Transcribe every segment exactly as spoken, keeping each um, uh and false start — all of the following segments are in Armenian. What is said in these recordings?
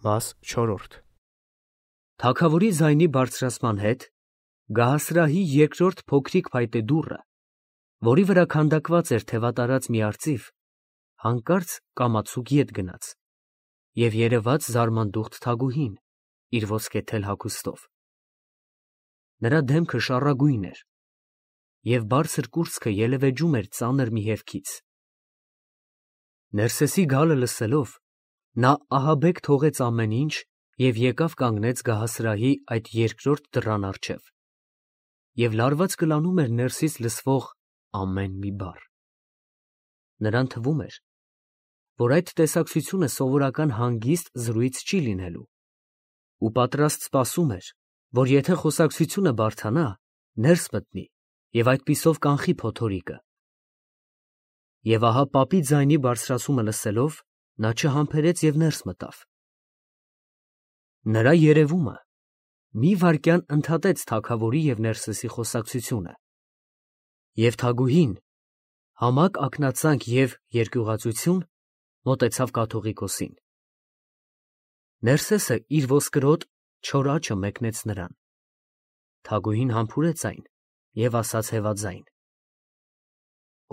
Մաս չորրորդ Թագավորի ձայնի բարձրացման հետ Գահասրահի երկրորդ փոքրիկ փայտե դուռը, որի վրա քանդակված էր թևատարած մի արծիվ, հանկարծ կամացուկ ետ գնաց և երևաց զարմանդուխտ Թագուհին իր ոսկեթել հագուստով. նրա դեմքը շառագույն էր և բարձր կուրծքը ելևէջում էր ծանր մի հևքից։ Ներսեսի գալը լսելով, նա ահաբեկ թողեց ամեն ինչ և եկավ կանգնեց գահասրահի այդ երկրորդ դռան առջև և լարված կլանում էր ներսից լսվող ամեն մի բառ։ Նրան թվում էր, որ այդ տեսակցությունը սովորական հանգիստ զրույց չի լինելու, ու պատրաստ սպասում էր, որ եթե խոսակցությունը բարդանա, ներս մտնի և այդպիսով կանխի փոթորիկը։ Եվ ահա պապի ձայնի բարձրացումը լսելով, նա չհամբերեց և ներս մտավ։ Նրա երևումը մի վայրկյան ընդհատեց թագավորի և Ներսեսի խոսակցությունը, և Թագուհին, համակ ակնածանք և երկյուղածություն, մոտեցավ կաթողիկոսին։ Ներսեսը իր ոսկրոտ չոր աչը մեկնեց նրան։ Թագուհին համբուրեց այն և ասաց հևաձայն.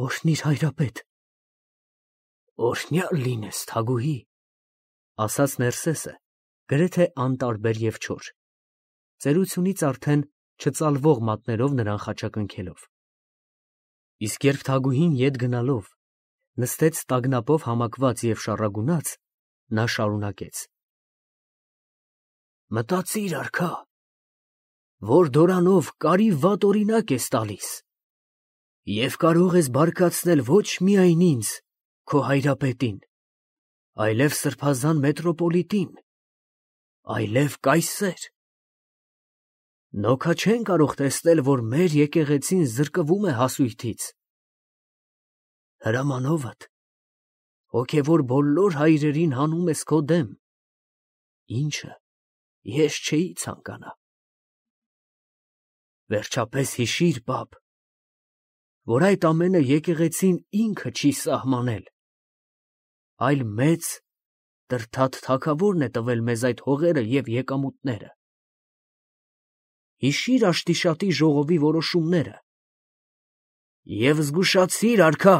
«Օրհնի՛ր, հայրապետ»։ «Օրհնյալ լինես, Թագուհի», ֊ ասաց Ներսեսը գրեթե անտարբեր և չոր, ծերությունից արդեն չծալվող մատներով նրան խաչակնքելով։ Իսկ երբ Թագուհին ետ գնալով նստեց տագնապով համակված և շառագունած, նա շարունակեց. «Մտածիր, արքա, որ դորանով կարի վատ օրինակ ես տալիս և կարող ես բարկացնել ոչ միայն ինձ, քո հայրապետին, այլև սրբազան մետրոպոլիտին, այլև կայսեր։ Նոքա չեն կարող տեսնել, որ մեր եկեղեցին զրկվում է հասույթից։ Հրամանովդ հոգևոր բոլոր հայրերին հանում ես քո դեմ, ինչը ես չէի ցանկանա։ Վերջապես հիշիր, պապ, որ այդ ամենը եկեղեցին ինքը չի սահմանել, այլ մեծ Տրդատ թագավորն է տվել մեզ այդ հողերը և եկամուտները։ Հիշիր Աշտիշատի ժողովի որոշումները և զգուշացիր, արքա»։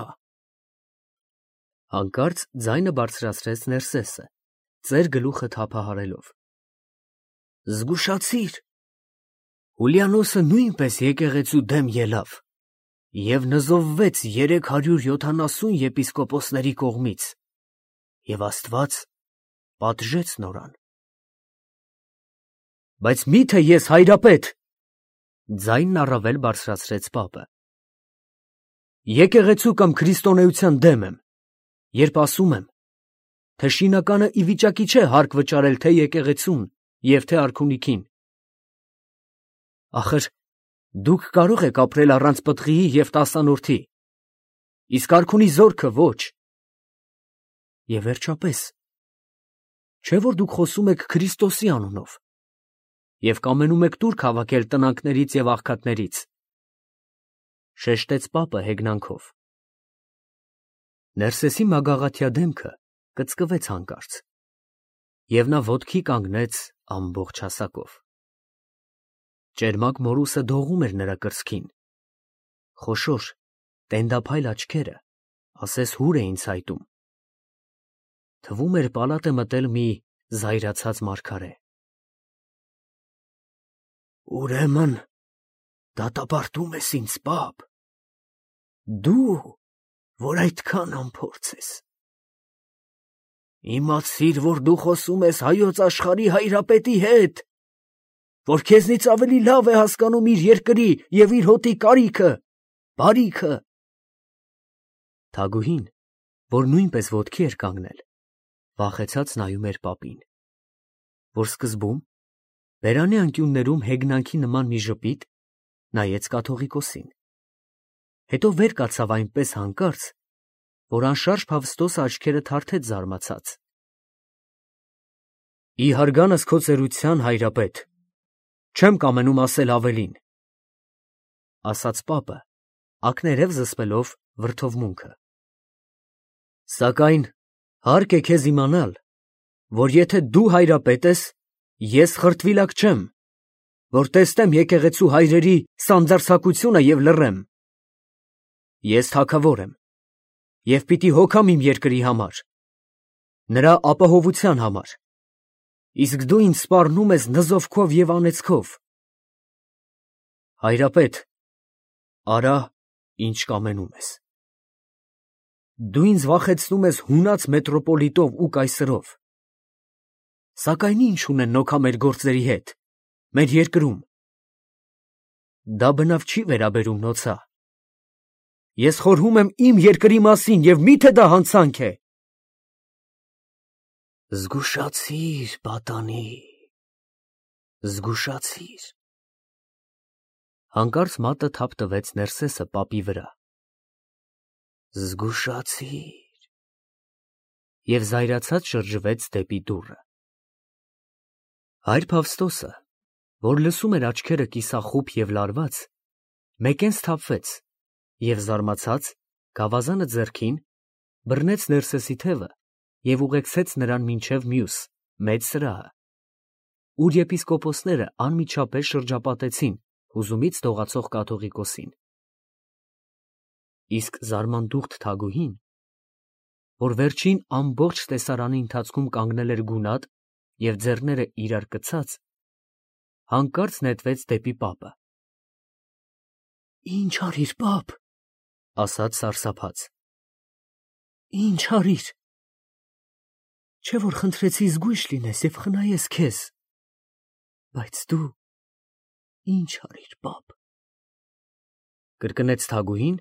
Հանկարծ ձայնը բարձրացրեց Ներսեսը, ծեր գլուխը թափահարելով. «Զգուշացիր, Հուլիանոսը նույնպես եկեղեցու դեմ ելավ և նզովվեց երեք հարյուր յոթանասուն եպիսկոպոսների կողմից, և Աստված պատժեց նորան»։ «Բայց մի՞թե ես, հայրապետ, ֊ ձայնն առավել բարձրացրեց պապը, ֊ եկեղեցու կամ քրիստոնեության դեմ եմ, երբ ասում եմ, թե շինականը ի վիճակի չէ հարկ վճարել թե՛ եկեղեցուն և թե՛ արքունիքին։ Ախր դուք կարող եք ապրել առանց պտղիի և տասանորդի, իսկ արքունի զորքը ոչ։ Եվ վերջապես, չէ՞ որ դուք խոսում եք Քրիստոսի անունով և կամենում եք տուրք հավաքել տնանքներից և աղքատներից», ֊ շեշտեց պապը հեգնանքով։ Ներսեսի մագաղաթյա դեմքը կծկվեց հանկարծ, և նա ոտքի կանգնեց ամբողջ հասակով։ Ճերմակ մորուսը դողում էր նրա կրծքին, խոշոր տենդափայլ աչքերը ասես հուր էին ցայտում։ Թվում էր պալատ է մտել մի զայրացած մարգարե։ «Ուրեմն դատապարտում ես ինձ, պապ, դու, որ այդքան անփորձ ես։ Իմացիր, որ դու խոսում ես հայոց աշխարհի հայրապետի հետ, որ քեզնից ավելի լավ է հասկանում իր երկրի և իր հոտի կարիքը, բարիքը»։ Թագուհին, որ նույնպես ոտքի էր կանգնել, վախեցած նայում էր պապին, որ սկզբում բերանի անկյուններում հեգնանքի նման մի ժպիտ նայեց կաթողիկոսին, հետո վեր կացավ այնպես հանկարծ, որ անշարժ Ֆավստոսը աչքերը թարթեց զարմացած։ «Ի հարգանս քո ծերության, հայրապետ, չեմ կամենում ասել ավելին», ֊ ասաց պապը, ակներև զսպելով վրդովմունքը։ «Սակայն հարկ է քեզ իմանալ, որ եթե դու հայրապետ ես, ես խրտվիլակ չեմ, որ տեսնեմ եկեղեցու հայրերի սանձարձակությունը և լռեմ։ Ես թագավոր եմ և պիտի հոգամ իմ երկրի համար, նրա ապահովության համար, իսկ դու ինձ սպառնում ես նզովքով և անեծքով։ Հայրապետ, արա, ինչ կամենում ես։ Դու ինձ վախեցնում ես հունած մետրոպոլիտով ու կայսրով, սակայն ի՞նչ ունեն նոքա մեր գործերի հետ, մեր երկրում։ Դա բնավ չի վերաբերում, նոցա։ Ես խորհում եմ իմ երկրի մասին և մի՞թե դա հանցանք է։ Զգուշացիր, պատանի, զգուշացիր։ Հանկարծ մատը թափ տվեց Ներսեսը պապի վրա։ Զգուշացիր։ Եվ զայրացած շրջվեց դեպի դուռը։ Հայր Փավստոսը, որ լսում էր աչքերը կիսախուփ և լարված, մեկեն սթափվեց և զարմացած, գավազանը ձեռքին, բռնեց Ներսեսի թևը և ուղեկցեց նրան մինչև մյուս, մեծ սրահը, ուր եպիսկոպոսները անմիջապես շրջապատեցին հուզումից դողացող կաթողիկոսին։ Իսկ զարմանդուխտ թագուհին, որ վերջին ամբողջ տեսարանի ընթացքում կանգնել էր գունատ և ձեռները իրար կցած, հանկարծ նետվեց դեպի պապը։ Ինչ արիր, պապ, ասաց սարսափած։ Ինչ արիր։ Չէ որ խնդրեցի զգույշ լինես և խնայես քեզ, բայց դու ինչ արիր, պապ։ Կրկնեց թագուհին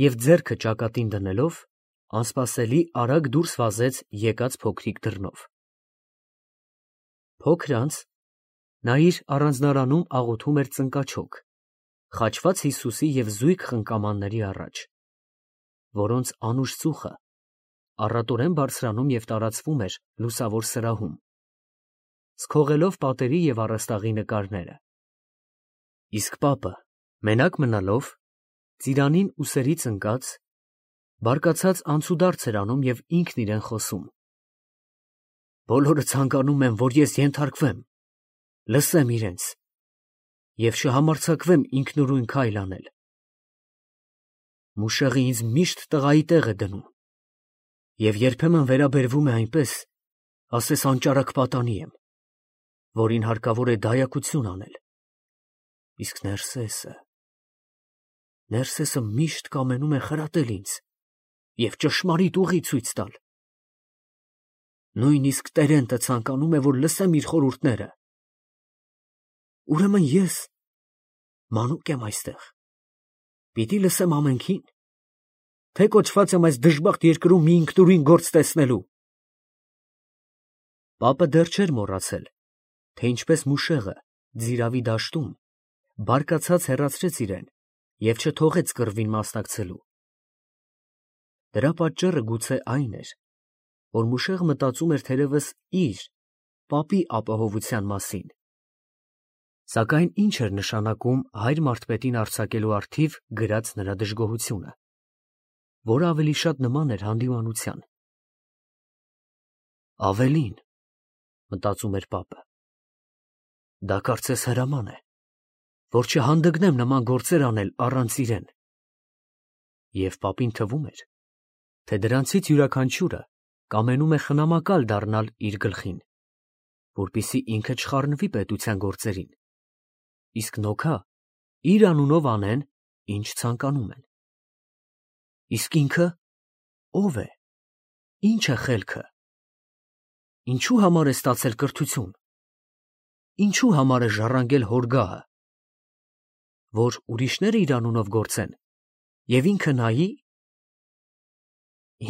և ձեռքը ճակատին դնելով, անսպասելի արագ դուրս վազեց եկած փոքրիկ դռնով։ Փոքր անց նա իր առանձնարանում աղոթում էր ծնկաչոք, խաչված Հիսուսի և զույգ խնկամանների առաջ, որոնց անուշ ծուխը առատորեն բարձրանում և տարածվում էր լուսավոր սրահում, սքողելով պատերի և առաստաղի նկարները։ Իսկ պապը, մենակ մնալով, ծիրանին ուսերից ընկած, բարկացած անցուդարձ էր անում և ինքն իրեն խոսում. Բոլորը ցանկանում են, որ ես ենթարկվեմ, լսեմ իրենց և չհամարձակվեմ ինքնուրույն քայլ անել։ Մուշեղը ինձ միշտ տղայի տեղ է դնում և երբեմն վերաբերվում է այնպես, ասես անճարակ պատանի եմ, որին հարկավոր է դայակություն անել։ Իսկ Ներսեսը… Ներսեսը միշտ կամենում է խրատել ինձ և ճշմարիտ ուղի ցույց տալ։ Նույնիսկ Տերենտը ցանկանում է, որ լսեմ իր խորհուրդները։ Ուրեմն ես մանուկ եմ այստեղ, պիտի լսեմ ամենքին, թե կոչված եմ այս դժբախտ երկրում մի ինքնուրույն գործ տեսնելու։ Պապը դեռ չէր մոռացել, թե ինչպես մուշեղը Ձիրավի դաշտում բարկացած հեռացրեց իրեն և չթողեց կռվին մասնակցելու։ Դրա պատճառը գուցե այն էր, որ մուշեղը մտածում էր թերևս իր՝ պապի ապահովության մասին։ Սակայն ի՞նչ էր նշանակում հայր մարդպետին արձակելու առթիվ գրած նրա դժգոհությունը, որը ավելի շատ նման էր հանդիմանության։ Ավելին, մտածում էր պապը, դա կարծես հրաման է, որ չհանդգնեմ նման գործեր անել առանց իրեն։ Եվ պապին թվում էր, թե դրանցից յուրաքանչյուրը կամենում է խնամակալ դառնալ իր գլխին, որպեսզի ինքը չխառնվի պետության գործերին, իսկ նոքա իր անունով անեն, ինչ ցանկանում են։ Իսկ ինքը ո՞վ է, ի՞նչ է խելքը։ Ինչու համար է ստացել կրթություն, ինչու համար է ժառանգել հոր գահը, որ ուրիշները իր անունով գործեն և ինքը նայի։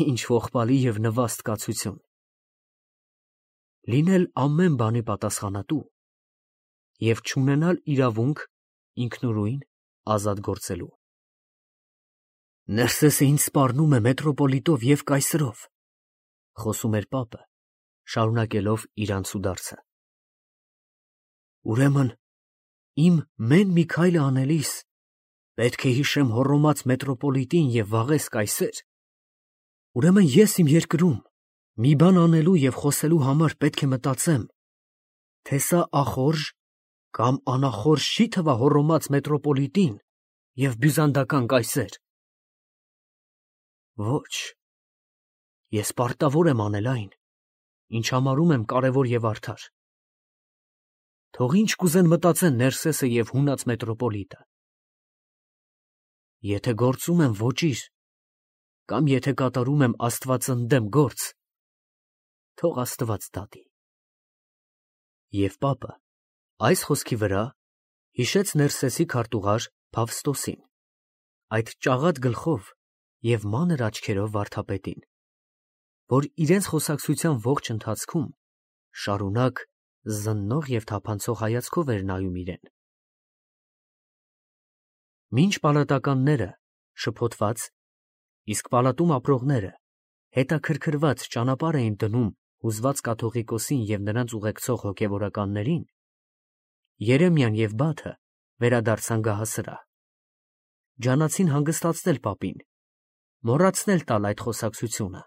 Ինչ ողբալի և նվաստ կացություն։ Լինել ամեն բանի պատասխանատու և չունենալ իրավունք ինքնուրույն ազատ գործելու։ Ներսեսը ինձ սպառնում է մետրոպոլիտով և կայսրով, խոսում էր պապը, շարունակելով իր անցուդարձը։ Ուրեմն իմ մեն մի քայլը անելիս պետք է հիշեմ հոռոմած մետրոպոլիտին և վաղես կայսեր։ Ուրեմն ես իմ երկրում Մի բան անելու և խոսելու համար պետք է մտածեմ, թե սա ախորժ կամ անախորժ չի թվա հոռոմած մետրոպոլիտին և բյուզանդական կայսեր։ Ոչ, ես պարտավոր եմ անել այն, ինչ համարում եմ կարևոր և արդար։ Թող ինչ կուզեն մտածեն Ներսեսը և հունած մետրոպոլիտը։ Եթե գործում եմ ոճիր, կամ եթե կատարում եմ աստվածընդեմ գործ, թող Աստված դատի։ Եվ պապը այս խոսքի վրա հիշեց Ներսեսի քարտուղար Ֆավստոսին, այդ ճաղատ գլխով և մանր աչքերով վարդապետին, որ իրենց խոսակցության ողջ ընթացքում շարունակ զննող և թափանցող հայացքով էր նայում իրեն։ Մինչ պալատականները շփոթված, իսկ պալատում ապրողները հետաքրքրված ճանապարհ էին դնում հուզված կաթողիկոսին և նրանց ուղեկցող հոգևորականներին, Երեմիան և Բաթը վերադարձան գահասրահ, ջանացին հանգստացնել պապին, մոռացնել տալ այդ խոսակցությունը։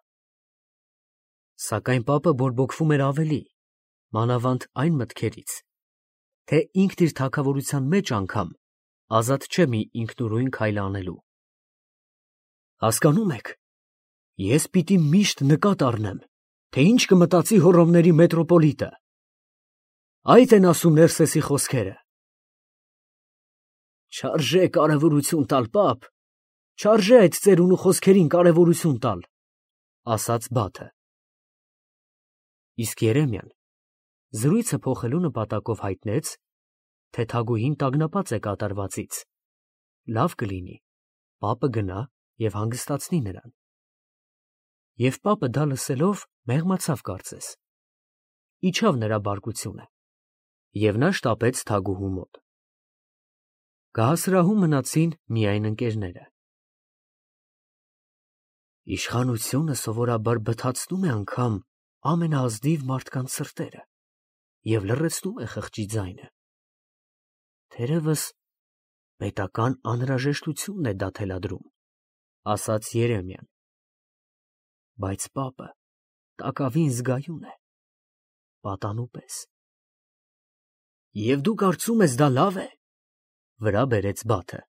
Սակայն պապը բորբոքվում էր ավելի, մանավանդ այն մտքերից, թե ինքն իր թագավորության մեջ անգամ ազատ չէ մի ինքնուրույն քայլ անելու։ Հասկանո՞ւմ եք, ես պիտի միշտ նկատ առնեմ, թե ինչ կմտածի հոռոմների մետրոպոլիտը։ Այդ են ասում Ներսեսի խոսքերը։ Չարժե կարևորություն տալ, պապ, չարժե այդ ծերունու խոսքերին կարևորություն տալ, ասաց Բաթը։ Իսկ Երեմիան զրույցը փոխելու նպատակով հայտնեց, թե թագուհին տագնապած է կատարվածից, լավ կլինի պապը գնա և հանգստացնի նրան։ Եվ պապը դա լսելով մեղմացավ կարծես, իջավ նրա բարկությունը, և նա շտապեց թագուհու մոտ։ Գահասրահում մնացին միայն ընկերները։ Իշխանությունը սովորաբար բթացնում է անգամ ամենաազնիվ մարդկանց սրտերը և լռեցնում է խղճի ձայնը։ Թերևս պետական անհրաժեշտությունն է դա թելադրում, ասաց Երեմիան։ Բայց պապը տակավին զգայուն է, պատանու պես։ Եվ դու կարծում ես դա լավ է, վրա բերեց Բաթը։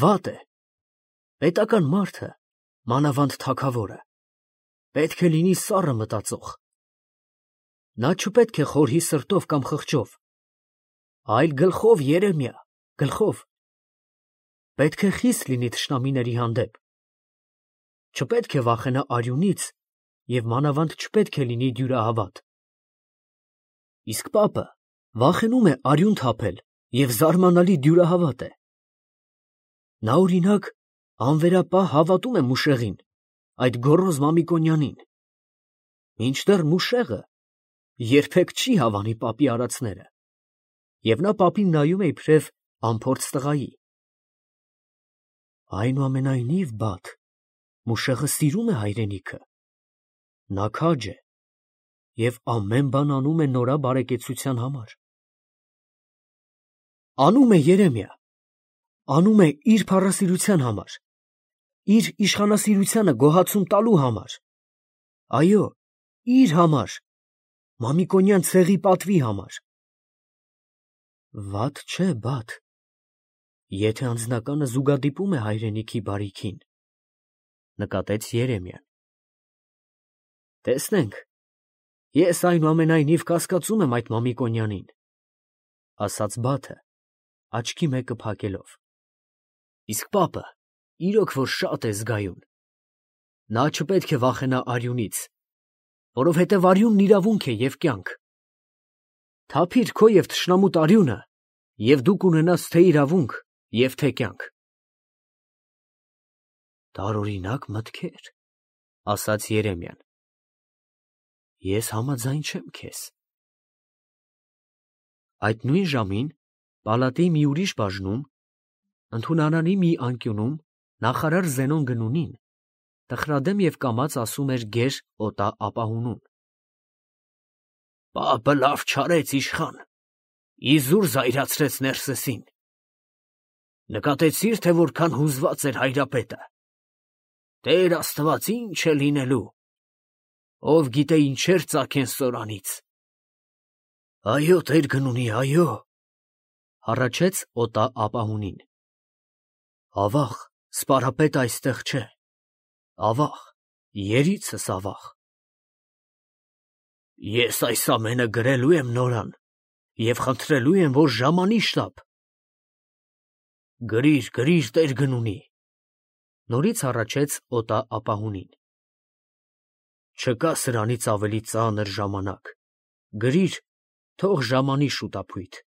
Վատ է, պետական մարդը, մանավանդ թագավորը, պետք է լինի սառը մտածող։ Նա չպետք է խորհի սրտով կամ խղճով, այլ գլխով, Երեմիա, գլխով։ Պետք է խիստ լինի թշնամիների հանդեպ, չպետք է վախենա արյունից և մանավանդ չպետք է լինի դյուրահավատ։ Իսկ պապը վախենում է արյուն թափել և զարմանալի դյուրահավատ է։ Նա, օրինակ, անվերապահ հավատում է Մուշեղին, այդ գոռոզ Մամիկոնյանին, մինչդեռ Մուշեղը երբեք չի հավանի պապի արածները, և նա պապին նայում է իբրև անփորձ տղայի։ Այնուամենայնիվ, Բաթ, Մուշեղը սիրում է հայրենիքը, նա քաջ է և ամեն բան անում է նորա բարեկեցության համար։ Անում է, Երեմիա, անում է իր փառասիրության համար, իր իշխանասիրությանը գոհացում տալու համար, այո, իր համար, Մամիկոնյան ցեղի պատվի համար։ Վատ չէ, Բաթ, եթե անձնականը զուգադիպում է հայրենիքի բարիքին, նկատեց Երեմիան։ Տեսնենք, ես այնուամենայնիվ կասկածում եմ այդ Մամիկոնյանին, ասաց Բաթը, աչքի մեկը փակելով։ Իսկ պապը իրոք որ շատ է զգայուն։ Նա չպետք է վախենա արյունից, որովհետև արյունն իրավունք է և կյանք։ Թափիր քո և թշնամուտ արյունը, և դու կունենաս թե իրավունք և թե կյանք։ Տարօրինակ մտքեր, ասաց Երեմիան։ Ես համաձայն չեմ քեզ։ Այդ նույն ժամին պալատի մի ուրիշ բաժնում, ընդունարանի մի անկյունում նախարար Զենոն Գնունին տխրադեմ և կամաց ասում էր գեր օտա ապահունուն. Պապը լավ չարեց, իշխան, իզուր զայրացրեց Ներսեսին։ Նկատեցի՞ր, թե որքան հուզված էր հայրապետը։ Տեր Աստված, ի՞նչ է լինելու։ ով գիտե ինչեր ծագեն սորանից։ Այո, տեր գնունի, այո, հառաչեց օտա ապահունին։ Ավաղ, սպարապետը այստեղ չէ, ավաղ, երիցս ավաղ։ Ես այս ամենը գրելու եմ նորան և խնդրելու եմ, որ ժամանի շտապ։ Գրիր, գրիր, տեր գնունի, նորից հառաչեց օտա ապահունին։ Չկա սրանից ավելի ծանր ժամանակ, գրիր, թող ժամանի շուտապույտ։